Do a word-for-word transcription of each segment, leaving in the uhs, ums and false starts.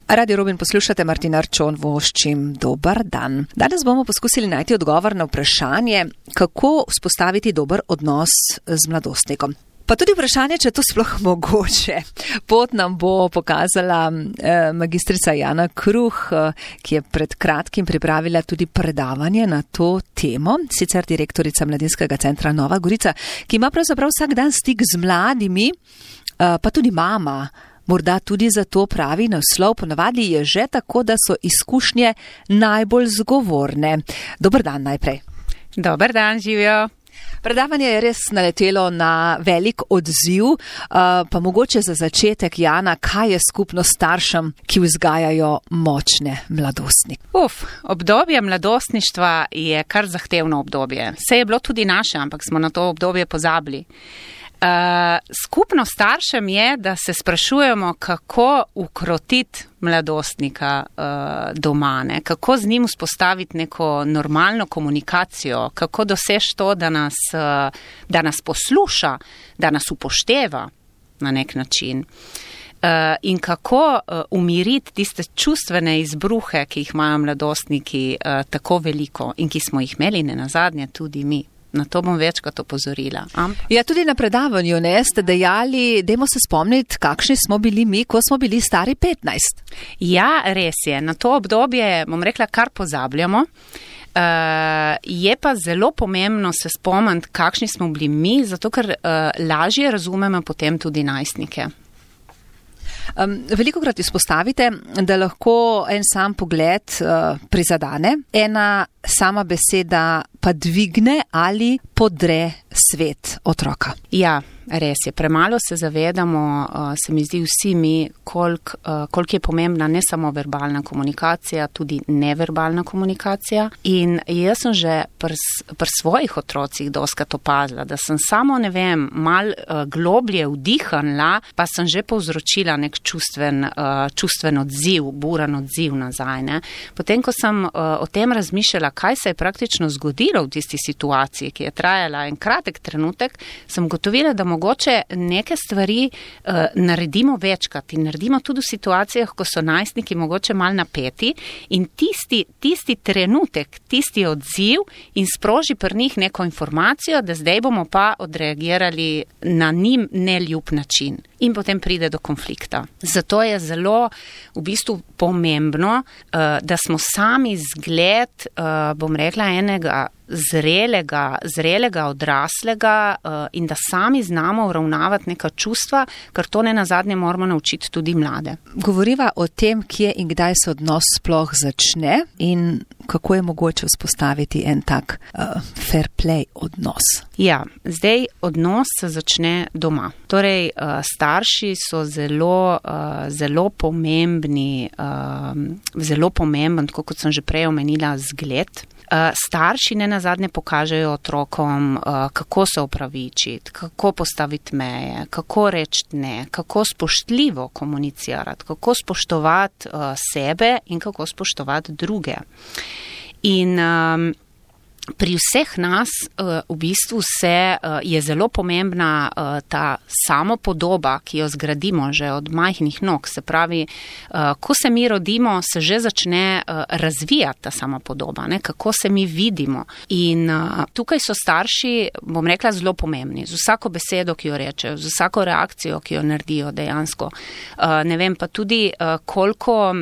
Radio Robin poslušate, Martina Arčon voščim, dober dan. Danes bomo poskusili najti odgovor na vprašanje, kako vzpostaviti dober odnos z mladostnikom. Pa tudi vprašanje, če je to sploh mogoče. Pot nam bo pokazala eh, magistrica Jana Kruh, eh, ki je pred kratkim pripravila tudi predavanje na to temo, sicer direktorica Mladinskega centra Nova Gorica, ki ima pravzaprav vsak dan stik z mladimi, eh, pa tudi mama. Morda tudi zato pravi naslov, ponavadi je že tako, da so izkušnje najbolj zgovorne. Dober dan najprej. Dober dan, živijo. Predavanje je res naletelo na velik odziv, pa mogoče za začetek, Jana, kaj je skupno staršem, ki vzgajajo močne mladostnike? Uf, obdobje mladostništva je kar zahtevno obdobje. Vse je bilo tudi naše, ampak smo na to obdobje pozabili. Uh, skupno staršem je, da se sprašujemo, kako ukrotiti mladostnika uh, doma, ne? Kako z njim vzpostaviti neko normalno komunikacijo, kako doseči to, da nas, uh, da nas posluša, da nas upošteva na nek način. Uh, in kako uh, umiriti tiste čustvene izbruhe, ki jih imajo mladostniki uh, tako veliko in ki smo jih imeli nenazadnje tudi mi. Na to bom večkrat opozorila. Am? Ja, tudi na predavanju ne ste dejali, dajmo se spomniti, kakšni smo bili mi, ko smo bili stari petnajst. Ja, res je. Na to obdobje, bom rekla, kar pozabljamo. Uh, je pa zelo pomembno se spomniti, kakšni smo bili mi, zato ker uh, lažje razumemo potem tudi najstnike. Um, velikokrat izpostavite, da lahko en sam pogled uh, prizadene, ena sama beseda pa dvigne ali podre svet otroka. Ja, res je. Premalo se zavedamo, uh, se mi zdi vsi mi, koliko uh, kolik je pomembna ne samo verbalna komunikacija, tudi neverbalna komunikacija. In jaz sem že pri pr svojih otrocih doskrat opazila, da sem samo, ne vem, mal uh, globlje vdihnila, pa sem že povzročila nek čustven, uh, čustven odziv, buran odziv nazaj. Ne? Potem, ko sem uh, o tem razmišljala, kaj se je praktično zgodilo v tisti situaciji, ki je trajala en kratek trenutek, sem ugotovila, da mogoče neke stvari uh, naredimo večkrat in naredimo tudi v situacijah, ko so najstniki mogoče mal napeti in tisti, tisti trenutek, tisti odziv in sproži pri njih neko informacijo, da zdaj bomo pa odreagirali na njim neljub način. In potem pride do konflikta. Zato je zelo v bistvu pomembno, uh, da smo sami zgled, uh, bom rekla, enega zrelega, zrelega odraslega uh, in da sami znamo uravnavati neka čustva, ker to ne nazadnje moramo naučiti tudi mlade. Govoriva o tem, kje in kdaj se odnos sploh začne in kako je mogoče vzpostaviti en tak uh, fair play odnos. Ja, zdaj odnos se začne doma. Torej, uh, starši so zelo, uh, zelo pomembni, uh, zelo pomemben, tako kot sem že prej omenila, zgled. Uh, starši ne nazadnje pokažejo otrokom, uh, kako se opravičiti, kako postaviti meje, kako reči ne, kako spoštljivo komunicirati, kako spoštovati uh, sebe in kako spoštovati druge. In um, pri vseh nas uh, v bistvu se, uh, je zelo pomembna uh, ta samopodoba, ki jo zgradimo že od majhnih nog. Se pravi, uh, ko se mi rodimo, se že začne uh, razvijati ta samopodoba, ne? Kako se mi vidimo. In uh, tukaj so starši, bom rekla, zelo pomembni. Z vsako besedo, ki jo rečejo, z vsako reakcijo, ki jo naredijo dejansko. Uh, ne vem pa tudi, uh, koliko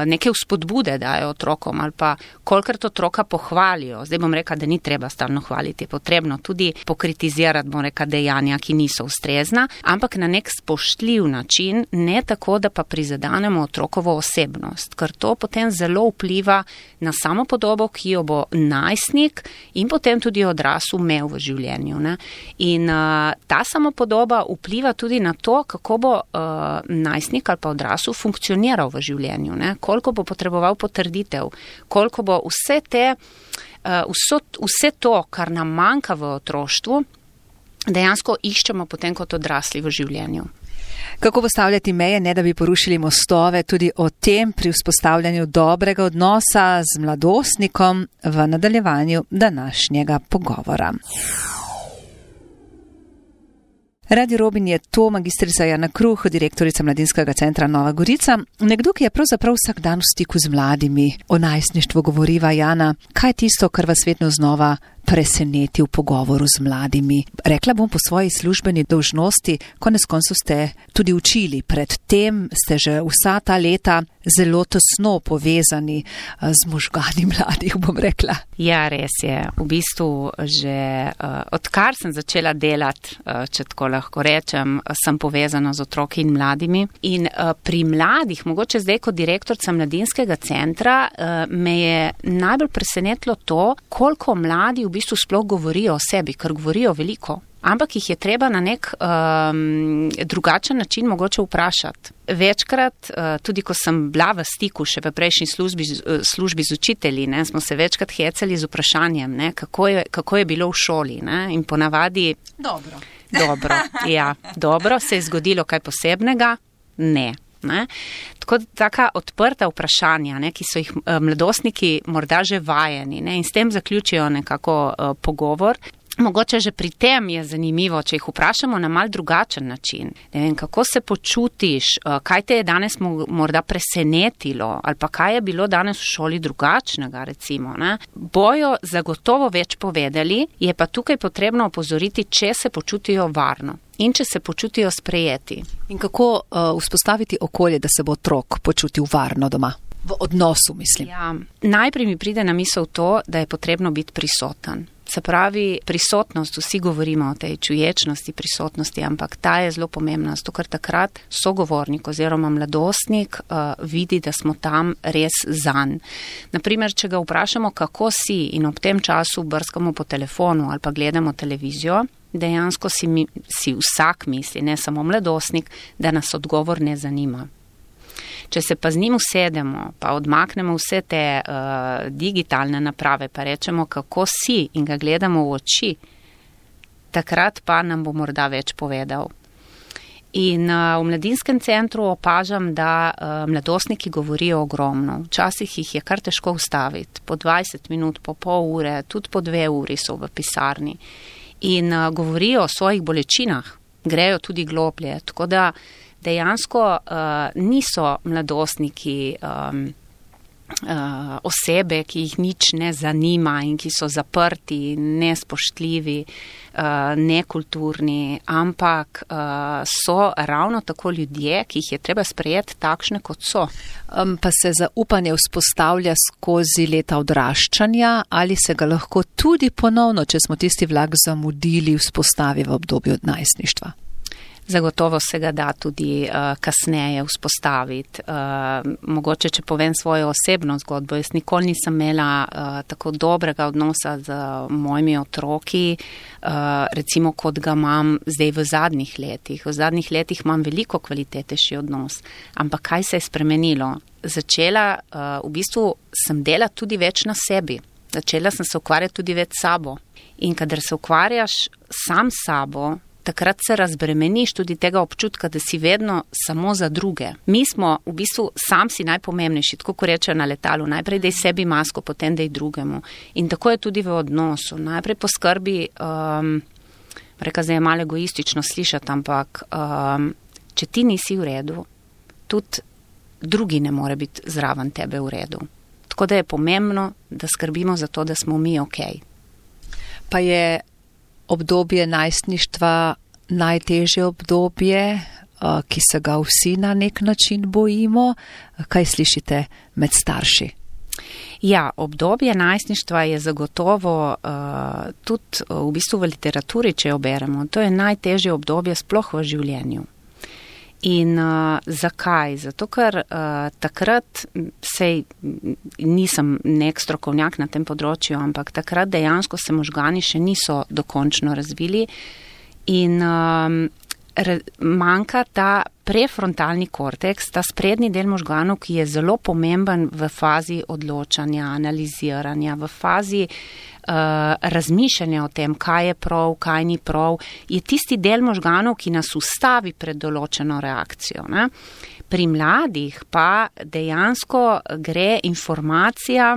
neke vzpodbude dajo otrokom ali pa kolikrat otroka pohvalijo. Zdaj bom rekla, da ni treba stalno hvaliti, je potrebno tudi pokritizirati, bom rekla, dejanja, ki niso ustrezna, ampak na nek spoštljiv način, ne tako, da pa prizadanemo otrokovo osebnost, ker to potem zelo vpliva na samopodobo, ki jo bo najstnik in potem tudi odrasel imel v življenju. Ne? In uh, ta samopodoba vpliva tudi na to, kako bo uh, najstnik ali pa odrasel funkcioniral v življenju. Ne? Koliko bo potreboval potrditev, koliko bo vse, te, vso, vse to, kar nam manjka v otroštvu, dejansko iščemo potem kot odrasli v življenju. Kako postavljati meje, ne da bi porušili mostove, tudi o tem pri vzpostavljanju dobrega odnosa z mladostnikom v nadaljevanju današnjega pogovora. Radio Robin je to magistrica Jana Kruh, direktorica Mladinskega centra Nova Gorica. Nekdo, ki je pravzaprav vsak dan v stiku z mladimi. O najstništvu govoriva. Jana, kaj je tisto, kar vas vedno znova preseneti v pogovoru z mladimi? Rekla bom po svoji službeni dolžnosti, konec koncev ste tudi učili. Predtem ste že vsa ta leta zelo tesno povezani z možgani mladih, bom rekla. Ja, res je. V bistvu že uh, odkar sem začela delati, uh, če tako lahko rečem, sem povezana z otroki in mladimi. In uh, pri mladih, mogoče zdaj kot direktorica Mladinskega centra, uh, me je najbolj presenetilo to, koliko mladi v bistvu sploh govorijo o sebi, ker govorijo veliko. Ampak jih je treba na nek um, drugačen način mogoče vprašati. Večkrat, uh, tudi ko sem bila v stiku še v prejšnji službi, službi z učitelji, ne, smo se večkrat hecali z vprašanjem, ne, kako, je, kako je bilo v šoli. Ne, in ponavadi... Dobro. Dobro, ja, dobro. Se je zgodilo kaj posebnega? Ne. Ne? Tako taka odprta vprašanja, ne, ki so jih mladostniki morda že vajeni, ne, in s tem zaključijo nekako uh, pogovor. Mogoče že pri tem je zanimivo, če jih vprašamo na mal drugačen način. Ne vem, kako se počutiš, kaj te je danes morda presenetilo ali pa kaj je bilo danes v šoli drugačnega, recimo. Ne? Bojo zagotovo več povedali, je pa tukaj potrebno opozoriti, če se počutijo varno in če se počutijo sprejeti. In kako uh, vzpostaviti okolje, da se bo otrok počutil varno doma? V odnosu, mislim. Ja, najprej mi pride na misel to, da je potrebno biti prisoten. Se pravi, prisotnost, vsi govorimo o tej čuječnosti prisotnosti, ampak ta je zelo pomembna, zato ker takrat sogovornik oziroma mladostnik uh, vidi, da smo tam res zanj. Naprimer, če ga vprašamo, kako si in ob tem času brskamo po telefonu ali pa gledamo televizijo, dejansko si, mi, si vsak misli, ne samo mladostnik, da nas odgovor ne zanima. Če se pa z njim usedemo, pa odmaknemo vse te uh, digitalne naprave, pa rečemo, kako si in ga gledamo v oči, takrat pa nam bo morda več povedal. In uh, v Mladinskem centru opažam, da uh, mladostniki govorijo ogromno. Včasih jih je kar težko ustaviti. Po dvajset minut, po pol ure, tudi po dve uri so v pisarni. In uh, govorijo o svojih bolečinah, grejo tudi globlje. Tako da dejansko uh, niso mladostniki um, uh, osebe, ki jih nič ne zanima in ki so zaprti, nespoštljivi, uh, nekulturni, ampak uh, so ravno tako ljudje, ki jih je treba sprejeti takšne, kot so. Um, pa se zaupanje vzpostavlja skozi leta odraščanja ali se ga lahko tudi ponovno, če smo tisti vlak zamudili, vzpostavi v obdobju najstništva? Zagotovo se ga da tudi uh, kasneje vzpostaviti. Uh, mogoče, če povem svojo osebno zgodbo, jaz nikoli nisem imela uh, tako dobrega odnosa z mojimi otroki, uh, recimo kot ga imam zdaj v zadnjih letih. V zadnjih letih imam veliko kvalitetnejši odnos. Ampak kaj se je spremenilo? Začela, uh, v bistvu sem delati tudi več na sebi. Začela sem se ukvarjati tudi več s sabo. In kadar se ukvarjaš sam s sabo, takrat se razbremeniš tudi tega občutka, da si vedno samo za druge. Mi smo v bistvu sam si najpomembnejši, tako ko rečejo na letalu, najprej dej sebi masko, potem dej drugemu. In tako je tudi v odnosu. Najprej poskrbi, um, reka zdaj je malo egoistično slišati, ampak um, če ti nisi v redu, tudi drugi ne more biti zraven tebe v redu. Tako da je pomembno, da skrbimo za to, da smo mi okej. Pa je obdobje najstništva najtežje obdobje, ki se ga vsi na nek način bojimo. Kaj slišite med starši? Ja, obdobje najstništva je zagotovo uh, tudi v bistvu v literaturi, če jo beremo. To je najtežje obdobje sploh v življenju. In uh, zakaj? Zato, ker uh, takrat, sej nisem nek strokovnjak na tem področju, ampak takrat dejansko se možgani še niso dokončno razvili in um, re, manjka ta prefrontalni korteks, ta sprednji del možganov, ki je zelo pomemben v fazi odločanja, analiziranja, v fazi uh, razmišljanja o tem, kaj je prav, kaj ni prav, je tisti del možganov, ki nas ustavi pred določeno reakcijo. Ne? Pri mladih pa dejansko gre informacija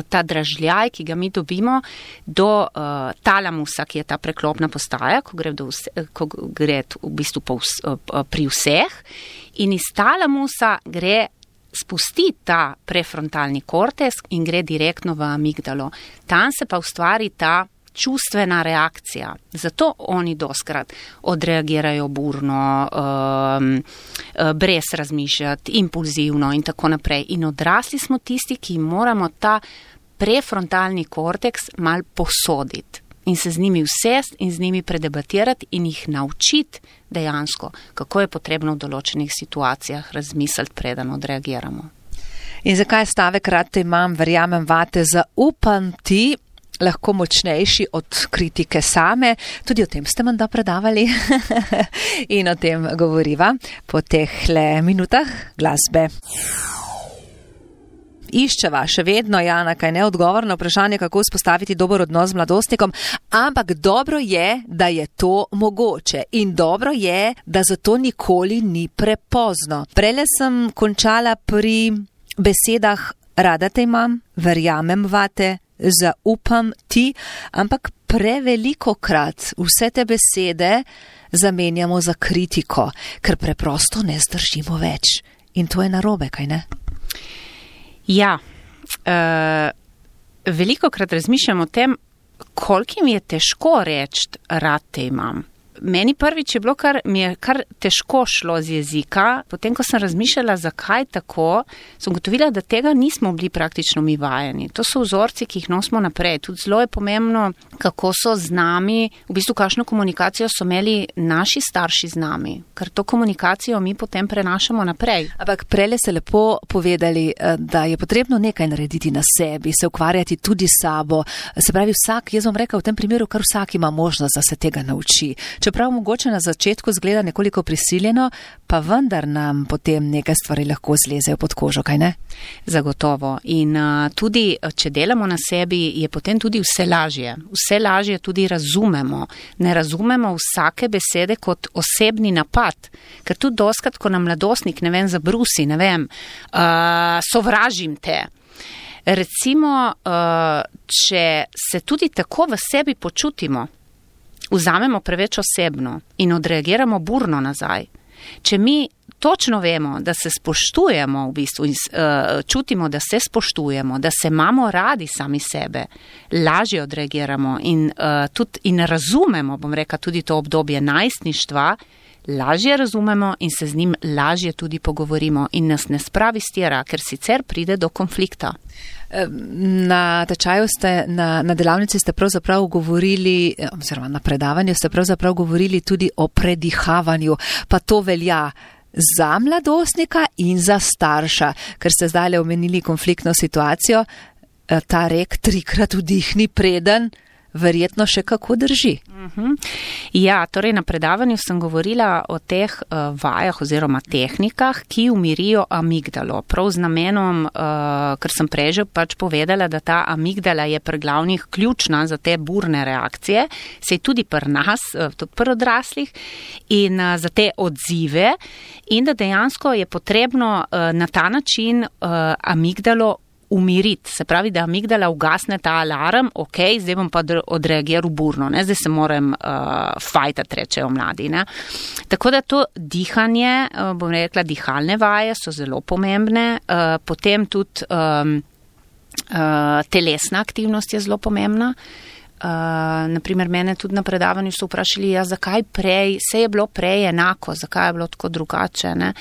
ta dražljaj, ki ga mi dobimo, do uh, talamusa, ki je ta preklopna postaja, ko gre, do vse, ko gre v bistvu po vs, uh, pri vseh, in iz talamusa gre spusti ta prefrontalni korteks in gre direktno v amigdalo. Tam se pa ustvari ta čustvena reakcija. Zato oni doskrat odreagirajo burno, um, brez razmišljati, impulzivno in tako naprej. In odrasli smo tisti, ki moramo ta prefrontalni korteks mal posoditi in se z njimi vsest in z njimi predebatirati in jih naučiti dejansko, kako je potrebno v določenih situacijah razmisliti, preden odreagiramo. In zakaj stavek rad te imam, verjamem vate, zaupam ti, lahko močnejši od kritike same. Tudi o tem ste menda predavali in o tem govoriva po tehle minutah glasbe. Iščeva še vedno, Jana, kaj ne odgovor na vprašanje, kako vzpostaviti dober odnos z mladostnikom, ampak dobro je, da je to mogoče in dobro je, da zato nikoli ni prepozno. Prele sem končala pri besedah rada te imam, verjamem vate, zaupam ti, ampak preveliko krat vse te besede zamenjamo za kritiko, ker preprosto ne zdržimo več. In to je narobe, kaj ne? Ja, uh, veliko krat razmišljam o tem, koliko mi je težko reči, rad te imam. Meni prvič je bilo, kar mi je kar težko šlo z jezika. Potem, ko sem razmišljala, zakaj tako, sem gotovila, da tega nismo bili praktično mi vajeni. To so vzorci, ki jih nosimo naprej. Tudi zelo je pomembno, kako so z nami, v bistvu kakšno komunikacijo so imeli naši starši z nami, ker to komunikacijo mi potem prenašamo naprej. Ampak prele ste lepo povedali, da je potrebno nekaj narediti na sebi, se ukvarjati tudi s sabo. Se pravi, vsak, jaz bom rekel v tem primeru, kar vsak ima možnost, da se tega nauči. Čeprav mogoče na začetku zgleda nekoliko prisiljeno, pa vendar nam potem nekaj stvari lahko zlezejo pod kožo, kaj ne? Zagotovo. In uh, tudi, če delamo na sebi, je potem tudi vse lažje. Vse lažje tudi razumemo. Ne razumemo vsake besede kot osebni napad. Ker tudi doskrat, ko nam mladostnik, ne vem, zabrusi, ne vem, uh, sovražim te. Recimo, uh, če se tudi tako v sebi počutimo, vzamemo preveč osebno in odreagiramo burno nazaj. Če mi točno vemo, da se spoštujemo v bistvu in uh, čutimo, da se spoštujemo, da se imamo radi sami sebe, lažje odreagiramo in, uh, tudi, in razumemo, bom rekla, tudi to obdobje najstništva, lažje razumemo in se z njim lažje tudi pogovorimo in nas ne spravi stira, ker sicer pride do konflikta. Na tečaju ste, na, na delavnici ste pravzaprav govorili, oziroma na predavanju ste pravzaprav govorili tudi o predihavanju, pa to velja za mladostnika in za starša, ker ste zdaj omenili konfliktno situacijo, ta rek trikrat vdihni preden, verjetno še kako drži. Uh-huh. Ja, torej na predavanju sem govorila o teh uh, vajah oziroma tehnikah, ki umirijo amigdalo. Prav z namenom, uh, ker sem prej že pač povedala, da ta amigdala je pri glavnih ključna za te burne reakcije, se je tudi pri nas, uh, tudi pri odraslih, in uh, za te odzive, in da dejansko je potrebno uh, na ta način uh, amigdalo umiriti. Se pravi, da amigdala ugasne ta alarm, ok, zdaj bom pa odreagiral burno, ne? Zdaj se moram uh, fajtati, rečejo mladi. Ne? Tako da to dihanje, uh, bom rekla, dihalne vaje so zelo pomembne, uh, potem tudi um, uh, telesna aktivnost je zelo pomembna. Uh, naprimer, mene tudi na predavanju so vprašali, ja, zakaj prej, vse je bilo prej enako, zakaj je bilo tako drugače, ne?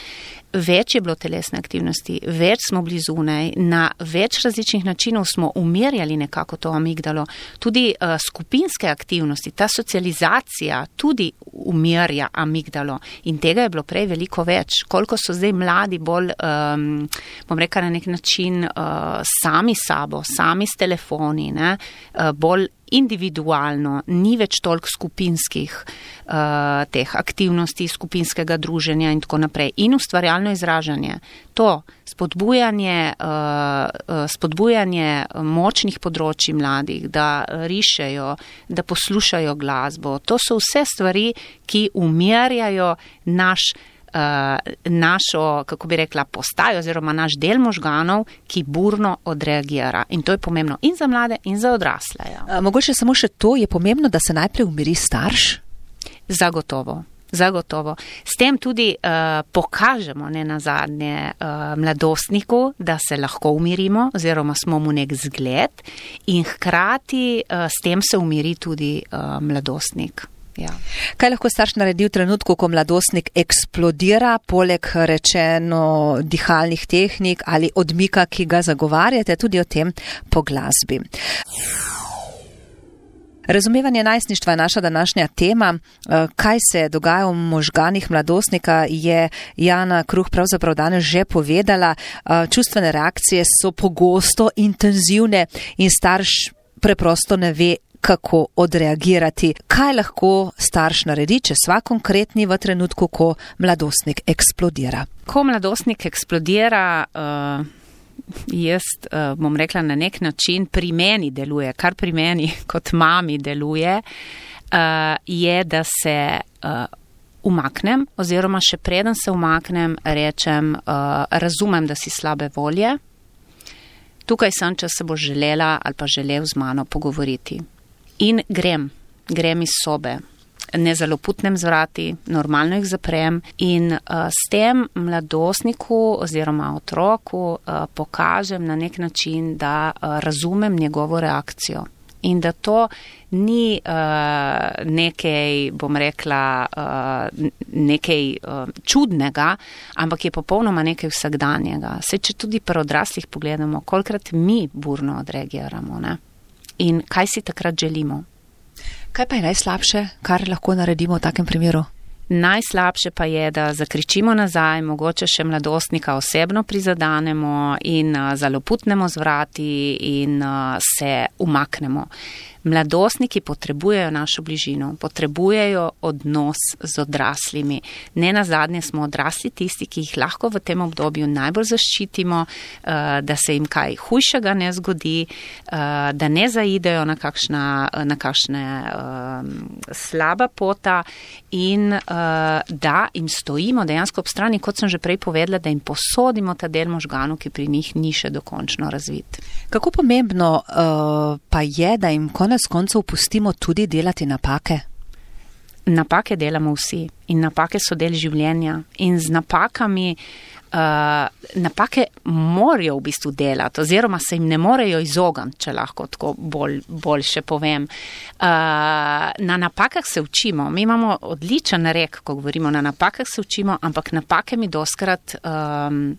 Več je bilo telesne aktivnosti, več smo bili zunaj, na več različnih načinov smo umirjali nekako to amigdalo. Tudi uh, skupinske aktivnosti, ta socializacija tudi umirja amigdalo in tega je bilo prej veliko več. Koliko so zdaj mladi bolj, um, bom rekla na nek način, uh, sami sabo, sami s telefoni, ne? Uh, bolj individualno, ni več toliko skupinskih uh, teh aktivnosti, skupinskega druženja in tako naprej. In ustvarjalno izražanje. To spodbujanje, uh, spodbujanje močnih področji mladih, da rišejo, da poslušajo glasbo. To so vse stvari, ki umirjajo naš našo, kako bi rekla, postajo oziroma naš del možganov, ki burno odreagira. In to je pomembno in za mlade, in za odrasle. Ja. Mogoče samo še to, je pomembno, da se najprej umiri starš? Zagotovo. Zagotovo. S tem tudi uh, pokažemo ne nazadnje uh, mladostniku, da se lahko umirimo oziroma smo mu nek zgled in hkrati uh, s tem se umiri tudi uh, mladostnik. Ja. Kaj lahko starš naredi v trenutku, ko mladostnik eksplodira, poleg rečeno dihalnih tehnik ali odmika, ki ga zagovarjate, tudi o tem po glasbi? Razumevanje najstništva je naša današnja tema. Kaj se dogaja v možganih mladostnika, je Jana Kruh pravzaprav danes že povedala. Čustvene reakcije so pogosto intenzivne in starš preprosto ne ve, kako odreagirati. Kaj lahko starš naredi, če sva konkretni v trenutku, ko mladostnik eksplodira? Ko mladostnik eksplodira, uh... jaz uh, bom rekla na nek način pri meni deluje, kar pri meni kot mami deluje, uh, je, da se uh, umaknem oziroma še preden se umaknem, rečem, uh, razumem, da si slabe volje. Tukaj sem, če se bo želela ali pa želel z mano pogovoriti. In grem, grem iz sobe. Ne zaloputnem z vrati, normalno jih zaprem in uh, s tem mladostniku oziroma otroku uh, pokažem na nek način, da uh, razumem njegovo reakcijo in da to ni uh, nekaj, bom rekla, uh, nekaj uh, čudnega, ampak je popolnoma nekaj vsakdanjega. Saj, če tudi pri odraslih pogledamo, kolikrat mi burno odreagiramo, ne? In kaj si takrat želimo? Kaj pa je najslabše, kar lahko naredimo v takem primeru? Najslabše pa je, da zakričimo nazaj, mogoče še mladostnika osebno prizadanemo in uh, zaloputnemo z vrati in uh, se umaknemo. Mladostniki potrebujejo našo bližino, potrebujejo odnos z odraslimi. Ne nazadnje smo odrasli tisti, ki jih lahko v tem obdobju najbolj zaščitimo, da se jim kaj hujšega ne zgodi, da ne zaidejo na kakšna, na kakšne slaba pota in da jim stojimo dejansko ob strani, kot sem že prej povedala, da jim posodimo ta del možganov, ki pri njih ni še dokončno razvit. Kako pomembno uh, pa je, da jim konec koncev pustimo tudi delati napake? Napake delamo vsi in napake so del življenja in z napakami uh, napake morajo v bistvu delati oziroma se jim ne morejo izogniti, če lahko tako bolj, bolj še povem. Uh, na napakah se učimo. Mi imamo odličen rek, ko govorimo na napakah se učimo, ampak napake mi doskrat um,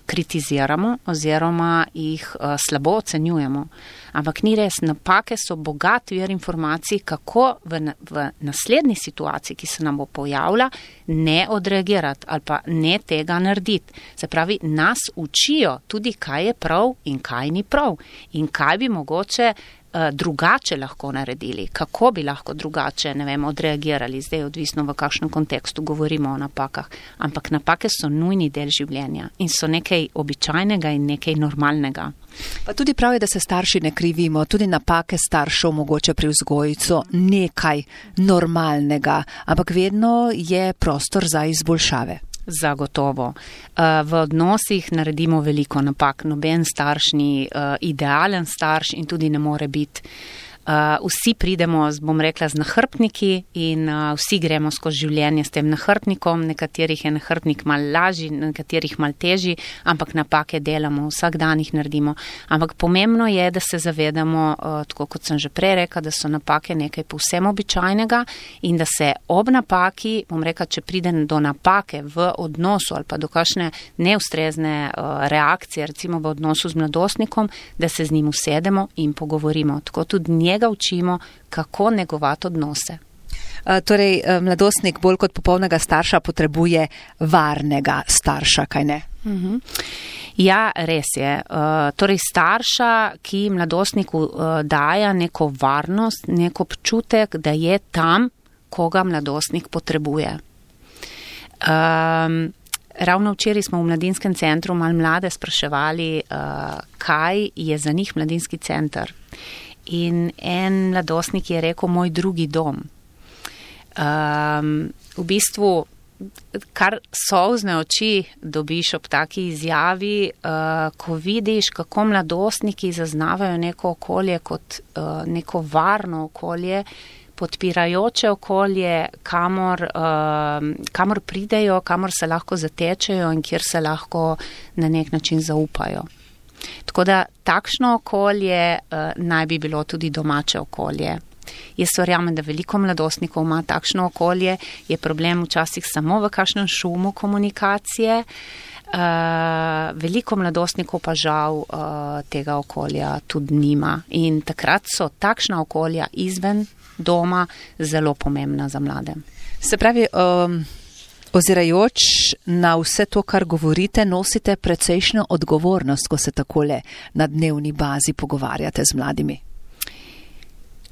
kritiziramo oziroma jih uh, slabo ocenjujemo. Ampak ni res, napake so bogat vir informacij, kako v, v naslednji situaciji, ki se nam bo pojavila, ne odreagirati ali pa ne tega narediti. Se pravi, nas učijo tudi, kaj je prav in kaj ni prav in kaj bi mogoče drugače lahko naredili, kako bi lahko drugače, ne vem, odreagirali, zdaj odvisno v kakšnem kontekstu govorimo o napakah, ampak napake so nujni del življenja in so nekaj običajnega in nekaj normalnega. Pa tudi pravi, da se starši ne krivimo, tudi napake staršev mogoče pri vzgoji so nekaj normalnega, ampak vedno je prostor za izboljšave. Zagotovo. V odnosih naredimo veliko napak, noben starš ni idealen starš in tudi ne more biti. Vsi pridemo, bom rekla, z nahrbtniki in vsi gremo skozi življenje s tem nahrbtnikom, nekaterih je nahrbtnik malo lažji, nekaterih malo težji, ampak napake delamo, vsak dan jih naredimo. Ampak pomembno je, da se zavedamo, tako kot sem že prej rekla, da so napake nekaj povsem običajnega in da se ob napaki, bom rekla, če pride do napake v odnosu ali pa do kakšne neustrezne reakcije, recimo v odnosu z mladostnikom, da se z njim usedemo in pogovorimo. Tako tudi njega učimo, kako negovati odnose. Torej, mladostnik bolj kot popolnega starša potrebuje varnega starša, kaj ne? Uh-huh. Ja, res je. Torej, starša, ki mladostniku daja neko varnost, nek občutek, da je tam, koga mladostnik potrebuje. Um, Ravno včeraj smo v mladinskem centru malo mlade spraševali, uh, kaj je za njih mladinski center. In en mladostnik je rekel, moj drugi dom. Um, v bistvu kar solzne oči dobiš ob taki izjavi, uh, ko vidiš, kako mladostniki zaznavajo neko okolje kot uh, neko varno okolje, podpirajoče okolje, kamor, uh, kamor pridejo, kamor se lahko zatečejo in kjer se lahko na nek način zaupajo. Tako da takšno okolje uh, naj bi bilo tudi domače okolje. Jaz verjamem, da veliko mladostnikov ima takšno okolje, je problem včasih samo v kakšnem šumu komunikacije, uh, veliko mladostnikov pa žal uh, tega okolja tudi nima in takrat so takšna okolja izven doma zelo pomembna za mlade. Se pravi, um, ozirajoč na vse to, kar govorite, nosite precejšnjo odgovornost, ko se takole na dnevni bazi pogovarjate z mladimi.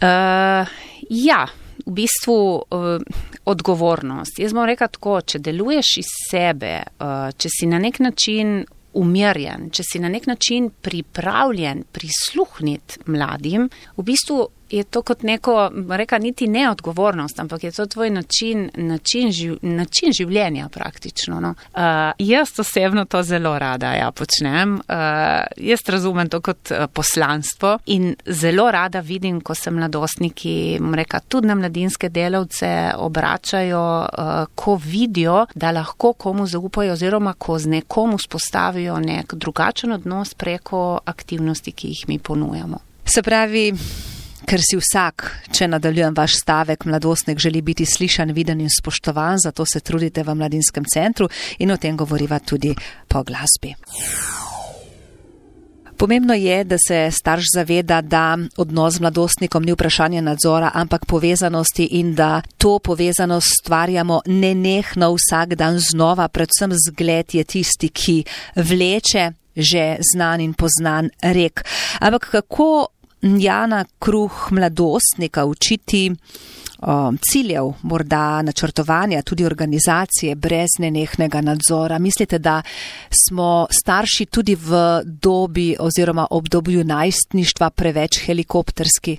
Uh, ja, v bistvu uh, odgovornost. Jaz bom rekla tako, če deluješ iz sebe, uh, če si na nek način umirjen, če si na nek način pripravljen prisluhniti mladim, v bistvu je to kot neko, reka, niti ne odgovornost, ampak je to tvoj način, način, živ, način življenja praktično. No. Uh, jaz osebno to zelo rada ja, počnem. Uh, jaz razumem to kot uh, poslanstvo in zelo rada vidim, ko se mladostniki, reka, tudi na mladinske delavce obračajo, uh, ko vidijo, da lahko komu zaupajo oziroma ko z nekom vzpostavijo nek drugačen odnos preko aktivnosti, ki jih mi ponujamo. Se pravi, ker si vsak, če nadaljujem vaš stavek, mladostnik želi biti slišan, viden in spoštovan, zato se trudite v mladinskem centru in o tem govoriva tudi po glasbi. Pomembno je, da se starš zaveda, da odnos z mladostnikom ni vprašanje nadzora, ampak povezanosti in da to povezanost stvarjamo nenehno vsak dan znova, predvsem zgled je tisti, ki vleče že znan in poznan rek. Ampak kako Jana Kruh mladostnika učiti o, ciljev, morda načrtovanja, tudi organizacije brez nenehnega nadzora? Mislite, da smo starši tudi v dobi oziroma obdobju najstništva preveč helikopterski?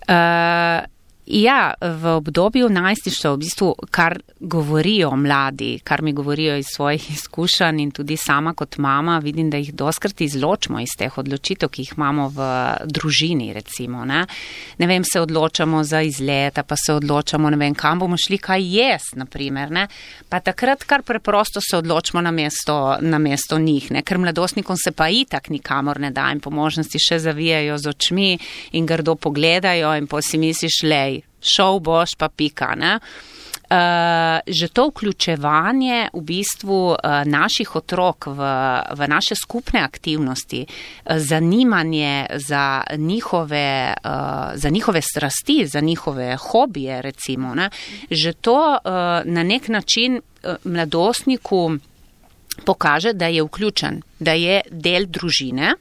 Uh... Ja, v obdobju najstništva, v bistvu, kar govorijo mladi, kar mi govorijo iz svojih izkušenj in tudi sama kot mama, vidim, da jih doskrat izločimo iz teh odločitev, ki jih imamo v družini, recimo, ne. Ne vem, se odločamo za izleta, pa se odločamo, ne vem, kam bomo šli, kaj jest, naprimer, ne. Pa takrat kar preprosto se odločimo na mesto, na mesto njih, ne, ker mladostnikom se pa itak nikamor ne da in po možnosti še zavijajo z očmi in grdo pogledajo in po si misliš, lej, šel boš pa pika, ne. Uh, že to vključevanje v bistvu uh, naših otrok v, v naše skupne aktivnosti, uh, zanimanje za njihove, uh, za njihove strasti, za njihove hobije, recimo, ne, že to uh, na nek način uh, mladostniku pokaže, da je vključen, da je del družine.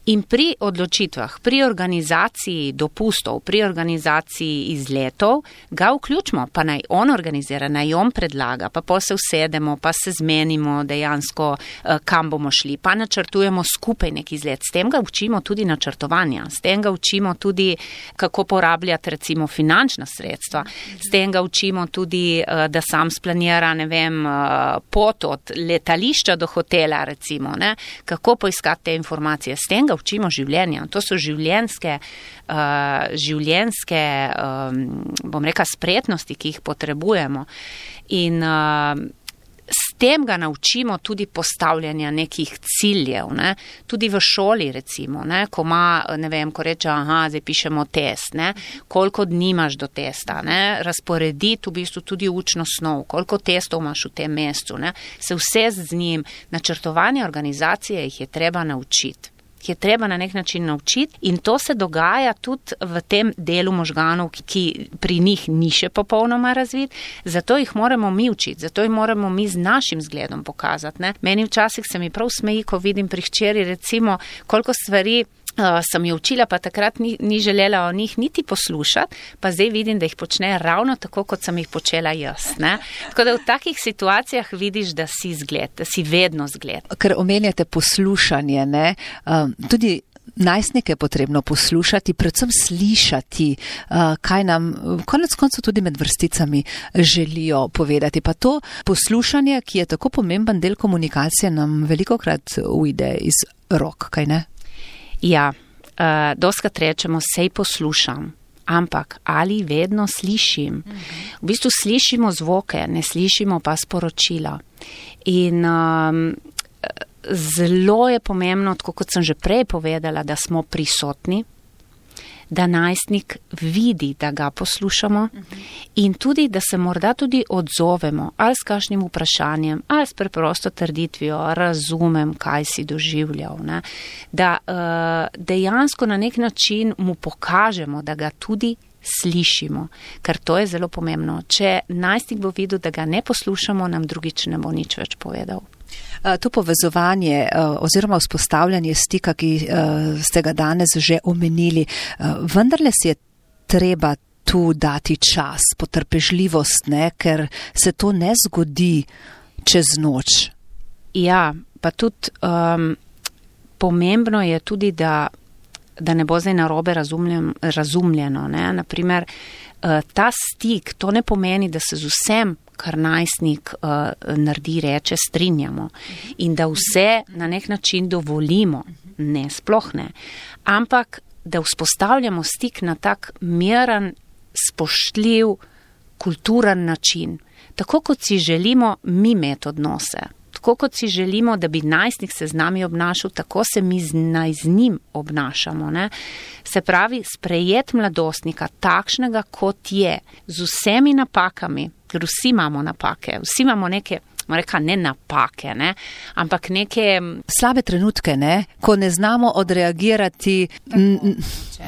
In pri odločitvah, pri organizaciji dopustov, pri organizaciji izletov, ga vključimo, pa naj on organizira, naj on predlaga, pa pa se usedemo, pa se zmenimo dejansko, kam bomo šli, pa načrtujemo skupaj nek izlet. S tem ga učimo tudi načrtovanja, s tem ga učimo tudi, kako porabljati recimo finančna sredstva, s tem ga učimo tudi, da sam splanira, ne vem, pot od letališča do hotela, recimo, ne, kako poiskati te informacije, s tem ga učimo življenja. To so življenjske, uh, življenjske um, bom rekla, spretnosti, ki jih potrebujemo. In uh, s tem ga naučimo tudi postavljanja nekih ciljev, ne? Tudi v šoli, recimo, ne? Ko ima, ne vem, ko reče, aha, zdaj pišemo test, ne? Koliko dni imaš do testa, ne? Razporediti v bistvu tudi učno snov, koliko testov imaš v tem mesecu, ne? Se vse z njim, načrtovanje organizacije jih je treba naučiti. je treba na nek način naučiti in to se dogaja tudi v tem delu možganov, ki, ki pri njih ni še popolnoma razvit, zato jih moramo mi učiti, zato jih moramo mi z našim zgledom pokazati. Ne? Meni včasih se mi prav smeji, ko vidim pri hčeri, recimo, koliko stvari Uh, sem jo učila, pa takrat ni, ni želela o njih niti poslušati, pa zdaj vidim, da jih počne ravno tako, kot sem jih počela jaz. Ne? Tako da v takih situacijah vidiš, da si zgled, da si vedno zgled. Ker omenjate poslušanje, ne? Um, tudi najstnike potrebno poslušati, predvsem slišati, kaj nam konec koncev tudi med vrsticami želijo povedati. Pa to poslušanje, ki je tako pomemben del komunikacije, nam velikokrat ujde iz rok, kaj ne? Ja, uh, doskrat rečemo, sej poslušam, ampak ali vedno slišim? V bistvu slišimo zvoke, ne slišimo pa sporočila. In um, zelo je pomembno, tako kot sem že prej povedala, da smo prisotni, da najstnik vidi, da ga poslušamo in tudi, da se morda tudi odzovemo ali s kakšnim vprašanjem, ali s preprosto trditvijo, razumem, kaj si doživljal. Ne? Da uh, dejansko na nek način mu pokažemo, da ga tudi slišimo, ker to je zelo pomembno. Če najstnik bo videl, da ga ne poslušamo, nam drugič ne bo nič več povedal. To povezovanje oziroma vzpostavljanje stika, ki ste ga danes že omenili, vendarle si je treba tu dati čas, potrpežljivost, ne, ker se to ne zgodi čez noč. Ja, pa tudi um, pomembno je tudi, da, da ne bo zdaj narobe razumljen, razumljeno. Ne? Naprimer, ta stik, to ne pomeni, da se z vsem, kar najstnik uh, naredi, reče, strinjamo in da vse na nek način dovolimo. Ne, sploh ne. Ampak, da vzpostavljamo stik na tak miren, spoštljiv, kulturen način. Tako kot si želimo mi imeti odnose. Tako kot si želimo, da bi najstnik se z nami obnašal, tako se mi z, naj z njim obnašamo. Ne? Se pravi, sprejet mladostnika takšnega, kot je, z vsemi napakami, ker vsi imamo napake, vsi imamo neke, reka, ne napake, ne? Ampak neke slabe trenutke, ne? Ko ne znamo odreagirati m,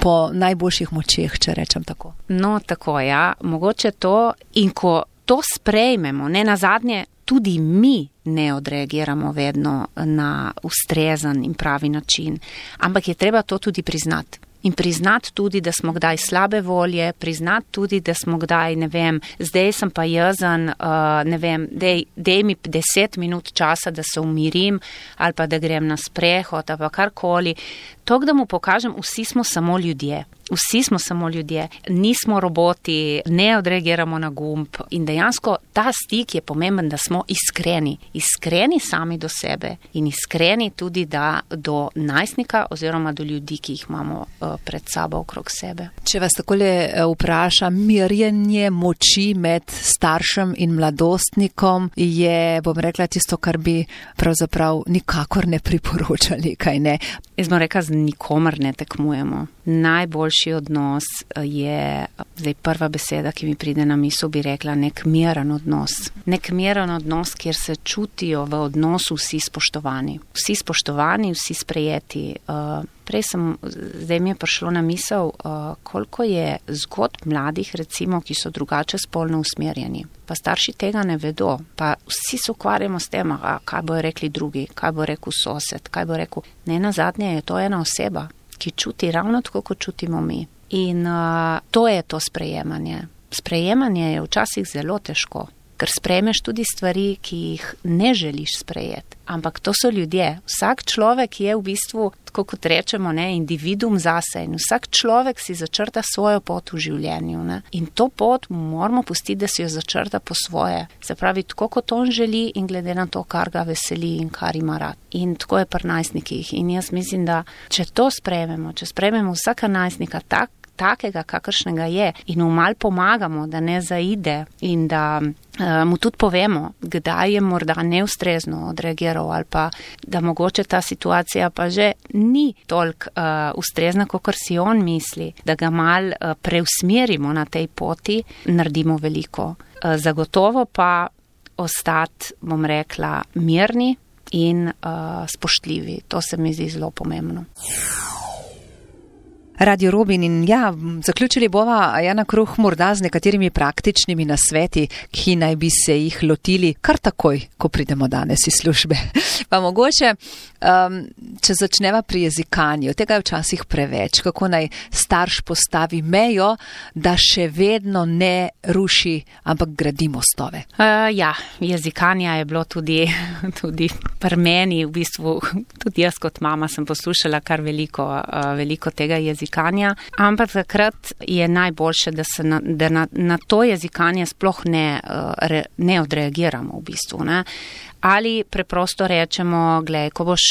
po najboljših močeh, če rečem tako. No, tako, ja, mogoče to, in ko to sprejmemo, ne nazadnje, tudi mi ne odreagiramo vedno na ustrezen in pravi način, ampak je treba to tudi priznati. In priznati tudi, da smo kdaj slabe volje, priznati tudi, da smo kdaj, ne vem, zdaj sem pa jezen, uh, ne vem, dej, dej mi deset minut časa, da se umirim ali pa da grem na sprehod ali pa karkoli. To, da mu pokažem, vsi smo samo ljudje. Vsi smo samo ljudje, nismo roboti, ne odreagiramo na gumb in dejansko ta stik je pomemben, da smo iskreni. Iskreni sami do sebe in iskreni tudi da do najstnika oziroma do ljudi, ki jih imamo uh, pred sabo okrog sebe. Če vas takole vprašam, merjenje moči med staršem in mladostnikom je, bom rekla, tisto, kar bi pravzaprav nikakor ne priporočali, kaj ne? Jaz bom rekla, z nikomer ne tekmujemo. Najboljši odnos je, zdaj prva beseda, ki mi pride na misel, bi rekla nek miren odnos. Nek miren odnos, kjer se čutijo v odnosu vsi spoštovani. Vsi spoštovani, vsi sprejeti. Uh, prej sem, zdaj mi je prišlo na misel, uh, koliko je zgodb mladih, recimo, ki so drugače spolno usmerjeni. Pa starši tega ne vedo. Pa vsi se ukvarjamo s tem, a, kaj bojo rekli drugi, kaj bo rekel sosed, kaj bo rekel. Ne, nazadnje je to ena oseba, ki čuti ravno tako, kot čutimo mi. In uh, to je to sprejemanje. Sprejemanje je včasih zelo težko, ker sprejmeš tudi stvari, ki jih ne želiš sprejeti. Ampak to so ljudje. Vsak človek je v bistvu, tako kot rečemo, ne, individuum zase in vsak človek si začrta svojo pot v življenju. Ne. In to pot moramo pustiti, da si jo začrta po svoje. Se pravi, tako kot on želi in glede na to, kar ga veseli in kar ima rad. In tako je pri najstnikih. In jaz mislim, da če to sprejmemo, če sprejmemo vsaka najstnika tak, takega, kakršnega je in mu mal pomagamo, da ne zaide in da uh, mu tudi povemo, kdaj je morda neustrezno odreagiral ali pa da mogoče ta situacija pa že ni toliko uh, ustrezna, kakor si on misli, da ga mal uh, preusmerimo na tej poti, naredimo veliko. Uh, zagotovo pa ostati, bom rekla, mirni in uh, spoštljivi. To se mi zdi zelo pomembno. Radio Robin in ja, zaključili bova Jana Kruh morda z nekaterimi praktičnimi nasveti, ki naj bi se jih lotili kar takoj, ko pridemo danes iz službe. Pa mogoče Um, če začneva pri jezikanju, tega je včasih preveč, kako naj starš postavi mejo, da še vedno ne ruši, ampak gradi mostove. Uh, ja, jezikanja je bilo tudi, tudi pri meni, v bistvu tudi jaz kot mama sem poslušala kar veliko, uh, veliko tega jezikanja, ampak takrat je najboljše, da se na, da na, na to jezikanje sploh ne, uh, re, ne odreagiramo v bistvu, ne. Ali preprosto rečemo, glej, ko boš,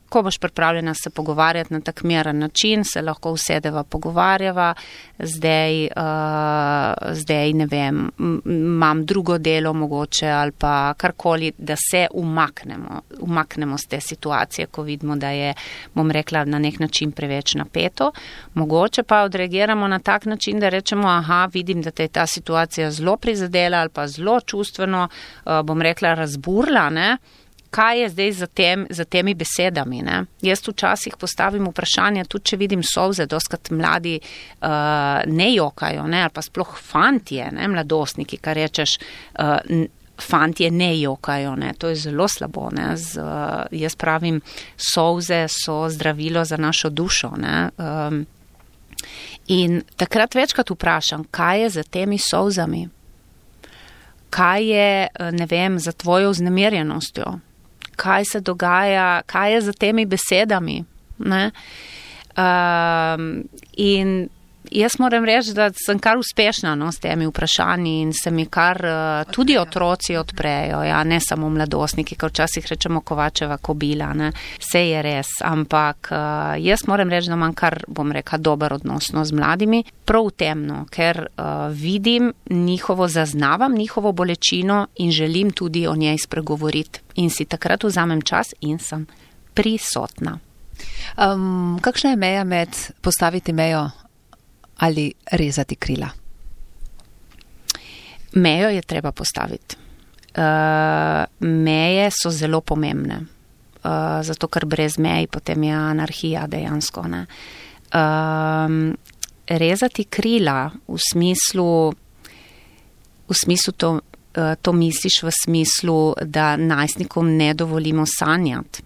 ko boš pripravljena se pogovarjati na tak miren način, se lahko usedeva pogovarjava, zdaj, uh, zdaj ne vem, imam drugo delo mogoče ali pa karkoli, da se umaknemo, umaknemo z te situacije, ko vidimo, da je, bom rekla, na nek način preveč napeto. Mogoče pa odreagiramo na tak način, da rečemo, aha, vidim, da te je ta situacija zelo prizadela ali pa zelo čustveno, uh, bom rekla, razburla, ne? Kaj je zdaj za, tem, za temi besedami, ne? Jaz včasih postavim vprašanje, tudi če vidim solze, doskrat mladi uh, ne jokajo, ne? Ali pa sploh fantje, ne? Mladostniki, kar rečeš, uh, fantje ne jokajo, ne? To je zelo slabo, ne? Z, uh, jaz pravim, solze so zdravilo za našo dušo, ne? Um, in takrat večkrat vprašam, kaj je za temi solzami? Kaj je, ne vem, za tvojo vznemirjenostjo? Kaj se dogaja, kaj je za temi besedami, ne? Um, in jaz moram reči, da sem kar uspešna, no, s temi vprašanji in se mi kar uh, tudi otroci odprejo, ja, ne samo mladostniki, ker včasih rečemo Kovačeva kobila, ne, vse je res, ampak uh, jaz moram reči, da imam kar, bom rekla, dober odnos no, z mladimi, prav temno, ker uh, vidim njihovo, zaznavam njihovo bolečino in želim tudi o njej spregovoriti in si takrat vzamem čas in sem prisotna. Um, kakšna je meja med postaviti mejo ali rezati krila? Mejo je treba postaviti. Uh, meje so zelo pomembne, uh, zato ker brez mej potem je anarhija dejansko, ne. Uh, rezati krila v smislu, v smislu to, uh, to misliš v smislu, da najstnikom ne dovolimo sanjati.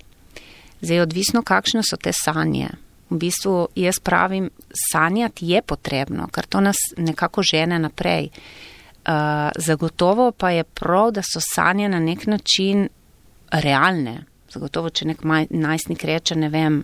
Zdaj, odvisno, kakšne so te sanje. V bistvu jaz pravim, sanjati je potrebno, ker to nas nekako žene naprej. Uh, zagotovo pa je prav, da so sanje na nek način realne. Zagotovo, če nek maj, najstnik reče, ne vem,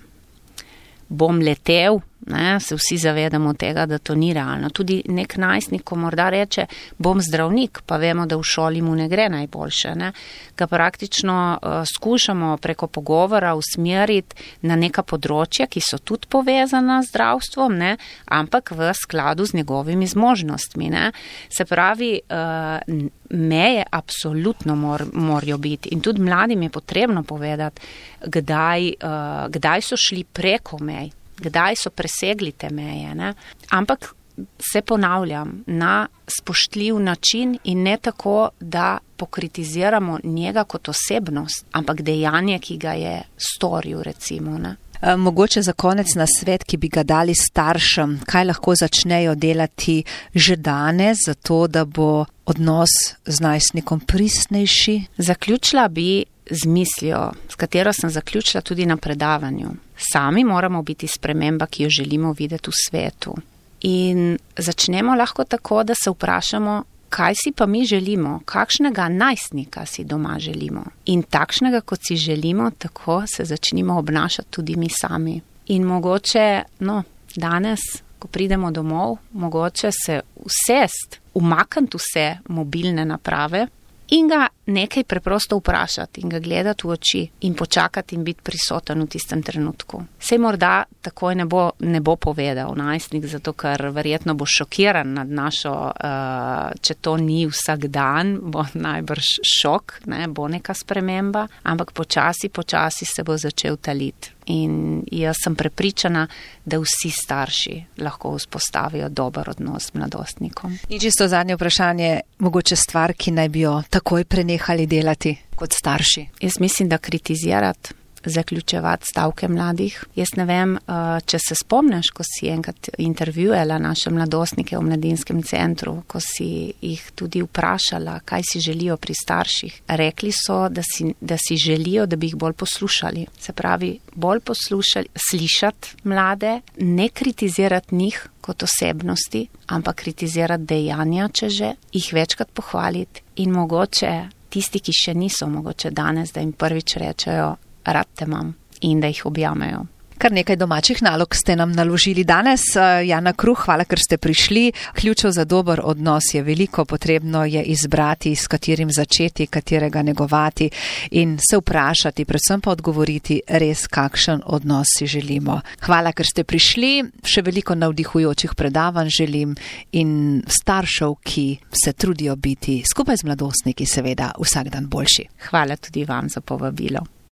bom letel, ne, se vsi zavedamo tega, da to ni realno. Tudi nek najstnik, ko morda reče, bom zdravnik, pa vemo, da v šoli mu ne gre najboljše, ne, ga praktično uh, skušamo preko pogovora usmeriti na neka področja, ki so tudi povezana z zdravstvom, ne, ampak v skladu z njegovimi zmožnostmi, ne. Se pravi, uh, meje absolutno mor, morajo biti in tudi mladim je potrebno povedati, kdaj, uh, kdaj so šli preko mej, kdaj so presegli te meje, ne? Ampak se ponavljam, na spoštljiv način in ne tako, da pokritiziramo njega kot osebnost, ampak dejanje, ki ga je storil, recimo, ne? Mogoče za konec na svet, ki bi ga dali staršem, kaj lahko začnejo delati že danes, zato da bo odnos z najstnikom pristnejši? Zaključila bi z mislijo, s katero sem zaključila tudi na predavanju. Sami moramo biti sprememba, ki jo želimo videti v svetu. In začnemo lahko tako, da se vprašamo, kaj si pa mi želimo, kakšnega najstnika si doma želimo. In takšnega, kot si želimo, tako se začnimo obnašati tudi mi sami. In mogoče, no, danes, ko pridemo domov, mogoče se usest, umakniti vse mobilne naprave in ga nekaj preprosto vprašati in ga gledati v oči in počakati in biti prisoten v tistem trenutku. Sej morda takoj ne bo, ne bo povedal najstnik, zato ker verjetno bo šokiran nad našo, uh, če to ni vsak dan, bo najbrž šok, ne, bo neka sprememba, ampak počasi, počasi se bo začel taliti. In jaz sem prepričana, da vsi starši lahko vzpostavijo dober odnos z mladostnikom. In čisto zadnje vprašanje, mogoče stvar, ki naj bi jo takoj prenehali delati kot starši? Jaz mislim, da kritizirati zaključevati stavke mladih. Jaz ne vem, če se spomniš, ko si enkrat intervjuela naše mladostnike v mladinskem centru, ko si jih tudi vprašala, kaj si želijo pri starših. Rekli so, da si, da si želijo, da bi jih bolj poslušali. Se pravi, bolj poslušali, slišati mlade, ne kritizirati njih kot osebnosti, ampak kritizirati dejanja, če že, jih večkrat pohvaliti in mogoče tisti, ki še niso, mogoče danes, da jim prvič rečejo, rad te imam in da jih objamejo. Kar nekaj domačih nalog ste nam naložili danes. Jana Kruh, hvala, ker ste prišli. Ključev za dober odnos je veliko, potrebno je izbrati, s katerim začeti, katerega negovati in se vprašati, predvsem pa odgovoriti res, kakšen odnos si želimo. Hvala, ker ste prišli. Še veliko navdihujočih predavanj želim in staršev, ki se trudijo biti skupaj z mladostniki seveda vsak dan boljši. Hvala tudi vam za povabilo.